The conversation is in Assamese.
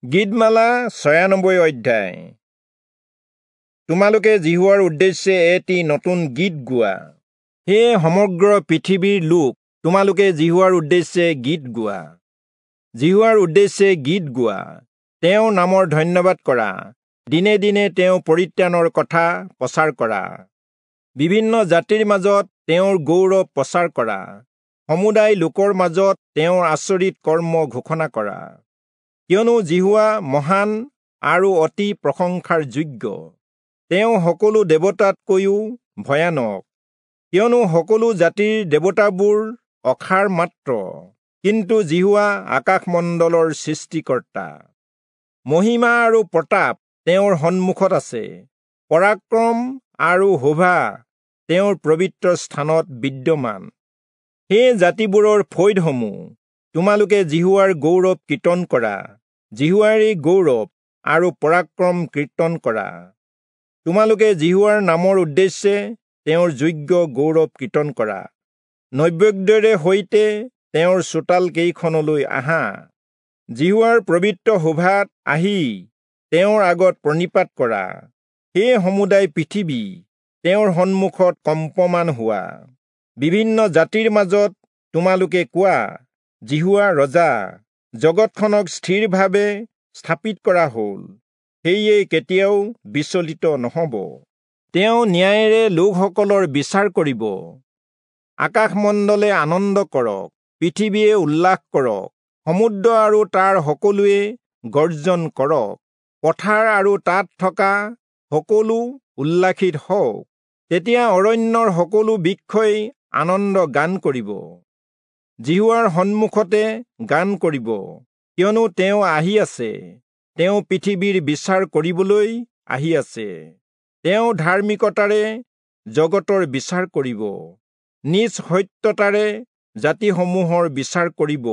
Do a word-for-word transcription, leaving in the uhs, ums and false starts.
গীতমালা ছয়ানব্বৈ অধ্যায়। তোমালোকে যিহোৱাৰ উদ্দেশ্যে এটি নতুন গীত গোৱা। হে সমগ্ৰ পৃথিৱীৰ লোক, তোমালোকে যিহোৱাৰ উদ্দেশ্যে গীত গোৱা। যিহোৱাৰ উদ্দেশ্যে গীত গোৱা, তেওঁৰ নামৰ ধন্যবাদ কৰা, দিনে দিনে তেওঁ পৰিত্ৰাণৰ কথা প্ৰচাৰ কৰা। বিভিন্ন জাতিৰ মাজত তেওঁৰ গৌৰৱ প্ৰচাৰ কৰা, সমুদায় লোকৰ মাজত তেওঁৰ আচৰিত কৰ্ম ঘোষণা কৰা। কিয়নো যিহোৱা মহান আৰু অতি প্ৰশংসাৰ যোগ্য, তেওঁ সকলো দেৱতাতকৈও ভয়ানক। কিয়নো সকলো জাতিৰ দেৱতাবোৰ অসাৰ মাত্ৰ, কিন্তু যিহোৱা আকাশমণ্ডলৰ সৃষ্টিকৰ্তা। মহিমা আৰু প্ৰতাপ তেওঁৰ সন্মুখত আছে, পৰাক্ৰম আৰু শোভা তেওঁৰ পবিত্ৰ স্থানত বিদ্যমান। হে জাতিবোৰৰ ফৈদসমূহ, তোমালোকে যিহোৱাৰ গৌৰৱ কীৰ্তন কৰা, যিহোৱাৰেই গৌৰৱ আৰু পৰাক্ৰম কীৰ্তন কৰা। তোমালোকে যিহোৱাৰ নামৰ উদ্দেশ্যে তেওঁৰ যোগ্য গৌৰৱ কীৰ্তন কৰা। নৈবেদ্যৰে সৈতে তেওঁৰ চোতাল কেইখনলৈ আহা, যিহোৱাৰ পবিত্ৰ শোভাত আহি তেওঁৰ আগত প্ৰণিপাত কৰা। হে সমুদায় পৃথিৱী, তেওঁৰ সন্মুখত কম্পমান হোৱা। বিভিন্ন জাতিৰ মাজত তোমালোকে কোৱা, যিহোৱা ৰজা, জগতখনক স্থিৰভাৱে স্থাপিত কৰা হ'ল, সেয়ে কেতিয়াও বিচলিত নহ'ব। তেওঁ ন্যায়েৰে লোকসকলৰ বিচাৰ কৰিব। আকাশমণ্ডলে আনন্দ কৰক, পৃথিৱীয়ে উল্লাস কৰক, সমুদ্ৰ আৰু তাৰ সকলোৱে গৰ্জন কৰক, পথাৰ আৰু তাত থকা সকলো উল্লাসিত হওক। তেতিয়া অৰণ্যৰ সকলো বৃক্ষই আনন্দ গান কৰিব, যিহোৱাৰ সন্মুখতে গান কৰিব, কিয়নো তেওঁ আহি আছে, তেওঁ পৃথিৱীৰ বিচাৰ কৰিবলৈ আহি আছে। তেওঁ ধাৰ্মিকতাৰে জগতৰ বিচাৰ কৰিব, নিজ সত্যতাৰে জাতিসমূহৰ বিচাৰ কৰিব।